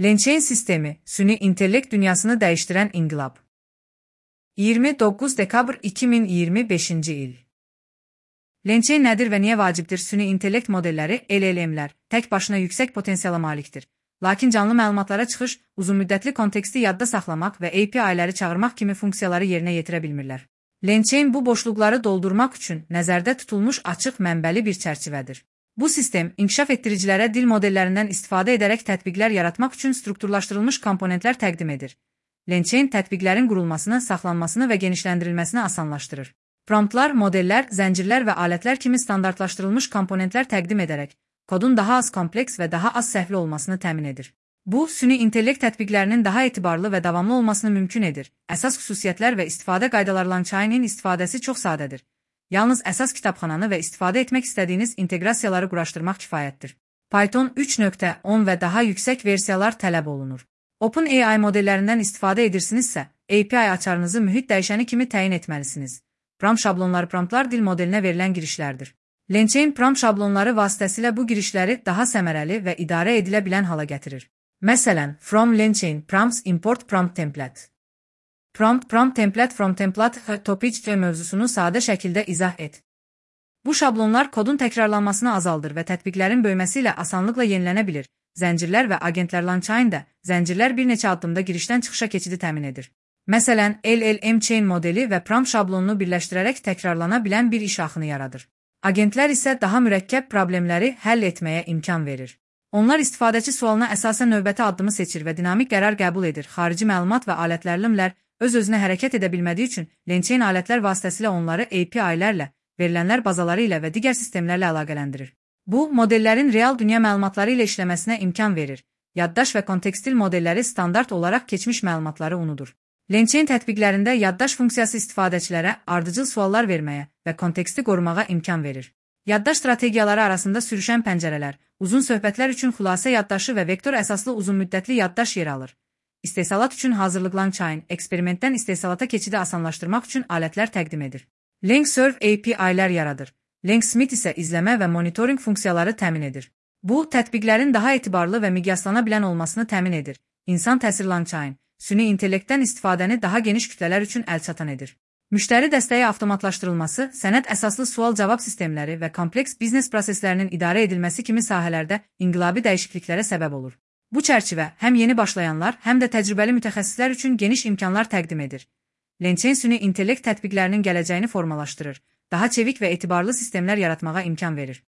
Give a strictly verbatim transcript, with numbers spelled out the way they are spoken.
LangChain sistemi, süni intellekt dünyasını dəyişdirən inqilab. iyirmi doqquz dekabr iki min iyirmi beşinci il. LangChain nədir və niyə vacibdir? Süni intellekt modelləri, L L M'lər, tək başına yüksək potensiala malikdir. Lakin canlı məlumatlara çıxış, uzunmüddətli konteksti yadda saxlamaq və A P I-ləri çağırmaq kimi funksiyaları yerinə yetirə bilmirlər. LangChain bu boşluqları doldurmaq üçün nəzərdə tutulmuş açıq mənbəli bir çərçivədir. Bu sistem, inkişaf etdiricilərə dil modellərindən istifadə edərək tətbiqlər yaratmaq üçün strukturlaşdırılmış komponentlər təqdim edir. LangChain tətbiqlərin qurulmasını, saxlanmasını və genişləndirilməsini asanlaşdırır. Promptlar, modellər, zəncirlər və alətlər kimi standartlaşdırılmış komponentlər təqdim edərək, kodun daha az kompleks və daha az səhvli olmasını təmin edir. Bu, süni intellekt tətbiqlərinin daha etibarlı və davamlı olmasını mümkün edir. Əsas xüsusiyyətlər və istifadə qaydaları LangChain'in istifadəsi çox sadədir. Yalnız əsas kitabxananı və istifadə etmək istədiyiniz inteqrasiyaları quraşdırmaq kifayətdir. Python üç nöqtə on və daha yüksək versiyalar tələb olunur. OpenAI modellərindən istifadə edirsinizsə, A P I açarınızı mühit dəyişəni kimi təyin etməlisiniz. Prompt şablonları promptlar dil modelinə verilən girişlərdir. LangChain prompt şablonları vasitəsilə bu girişləri daha səmərəli və idarə edilə bilən hala gətirir. Məsələn, from LangChain prompts import prompt template. Prompt, prompt template from template topic mövzusunu sadə şəkildə izah et. Bu şablonlar kodun təkrarlanmasını azaldır və tətbiqlərin böyüməsi ilə asanlıqla yenilənə bilir. Zəncirlər və agentlər LangChain'də, zəncirlər bir neçə addımda girişdən çıxışa keçidi təmin edir. Məsələn, L L M chain modeli və prompt şablonunu birləşdirərək təkrarlana bilən bir iş axını yaradır. Agentlər isə daha mürəkkəb problemləri həll etməyə imkan verir. Onlar istifadəçi sualına əsasən növbəti addımı seçir və dinamik qərar qəbul edir. Xarici məlumat və alətlərlimlər öz-özünə hərəkət edə bilmədiyi üçün LangChain alətlər vasitəsilə onları A P I-lərlə, verilənlər bazaları ilə və digər sistemlərlə əlaqələndirir. Bu, modellərin real dünya məlumatları ilə işləməsinə imkan verir. Yaddaş və kontekstil modelləri standart olaraq keçmiş məlumatları unudur. LangChain tətbiqlərində yaddaş funksiyası istifadəçilərə ardıcıl suallar verməyə və konteksti qorumağa imkan verir. Yaddaş strategiyaları arasında sürüşən pəncərələr, uzun söhbətlər üçün xülasə yaddaşı və vektor əsaslı uzunmüddətli yaddaş yer alır. İstehsalat üçün hazırlıq LangChain, eksperimentdən istehsalata keçidi asanlaşdırmaq üçün alətlər təqdim edir. LangServe A P I-lər yaradır. LangSmith isə izləmə və monitoring funksiyaları təmin edir. Bu, tətbiqlərin daha etibarlı və miqyaslana bilən olmasını təmin edir. İnsan təsir LangChain, süni intellektdən istifadəni daha geniş kütlələr üçün əlçatan edir. Müştəri dəstəyi avtomatlaşdırılması, sənəd əsaslı sual-cavab sistemləri və kompleks biznes proseslərinin idarə edilməsi kimi sahələrdə inqilabi dəyişikliklərə səbəb olur. Bu çərçivə həm yeni başlayanlar, həm də təcrübəli mütəxəssislər üçün geniş imkanlar təqdim edir. LangChain süni intellekt tətbiqlərinin gələcəyini formalaşdırır, daha çevik və etibarlı sistemlər yaratmağa imkan verir.